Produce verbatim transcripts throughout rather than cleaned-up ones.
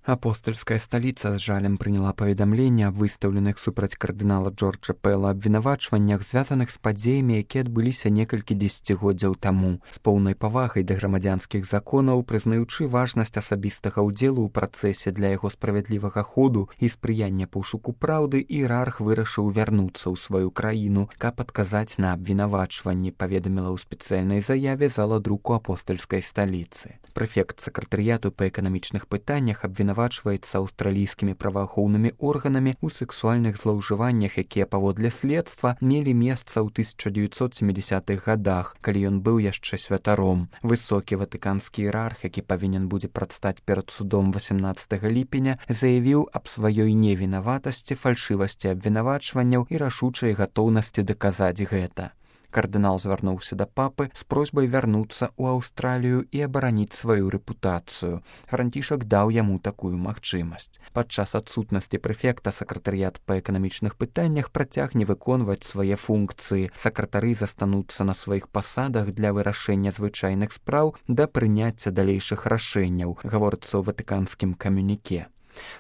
Апостольская столица з жалем прыняла паведамленне аб выстаўленых супраць кардынала Джорджа Пэла абвінавачваннях, звязаных з падзеямі, якія адбыліся некалькі дзесяцігоддзяў таму. З поўнай павагай да грамадзянскіх законаў, прызнаючы важнасць асабістага ўдзелу ў працэсе для яго справядлівага ходу і спрыяння пошуку праўды, іерарх вырашыў вярнуцца ў сваю краіну, каб адказаць на абвінавачванні, паведаміла ў спецыяльнай заяве зала друку апостольскай сталіцы. Прэфект сакратарыяту па эканамічных пытаннях абвінавачваецца аўстралійскімі праваахоўнымі органамі ў сексуальных злоўжываннях, якія паводле следства мелі месца ў тысяча дзевяцьсот сямідзясятых гадах, калі ён быў яшчэ святаром. Высокі ватыканскі іерарх, які павінен будзе прадстаць перад судом васямнаццатага ліпеня, заявіў аб сваёй невінаватасці, фальшывасці абвінавачванняў і рашучай гатоўнасці даказаць гэта. Кардынал звярнуўся да папы з просьбай вярнуцца ў Аўстралію і абараніць сваю рэпутацыю. Францішак даў яму такую магчымасць. Падчас адсутнасці прэфекта сакратарыят па эканамічных пытаннях працягне выконваць свае функцыі. Сакратары застануцца на сваіх пасадах для вырашэння звычайных спраў да прыняцця далейшых рашэнняў, гаворыцца ў ватыканскім камюніке.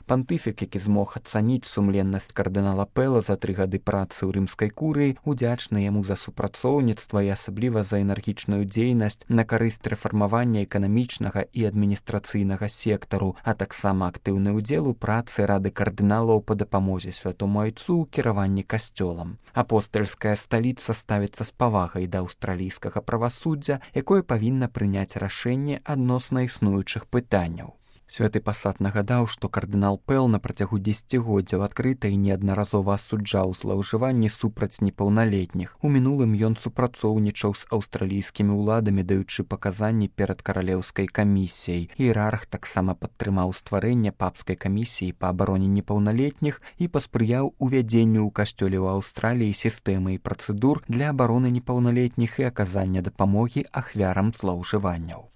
Пантыфік, які змог ацаніць сумленнасць кардынала Пэла за тры гады працы ў рымскай курыі, удзячны яму за супрацоўніцтва і асабліва за энергічную дзейнасць на карысць рэфармавання эканамічнага і адміністрацыйнага сектару, а таксама актыўны ўдзел у працы рады кардыналаў па дапамозе святому айцу ў кіраванні касцёлам. Апостальская сталіца ставіцца з павагай да аўстралійскага правасуддзя, якое павінна прыняць рашэнне адносна існуючых пытанняў. Святы пасад нагадаў, што кардынал Пэл на працягу дзесяцігоддзяў адкрыта і неаднаразова асуджаў злоўжыванні супраць непаўналетніх. У мінулым ён супрацоўнічаў з аўстралійскімі ўладамі, даючы паказанні перад каралеўскай камісіяй. Іерарх таксама падтрымаў стварэнне папскай камісіі па абароне непаўналетніх і паспрыяў увядзенню ў касцёле ў Аўстраліі сістэмы і працэдур для абароны непаўналетніх і аказання дапамогі ахвярам злоўжыванняў.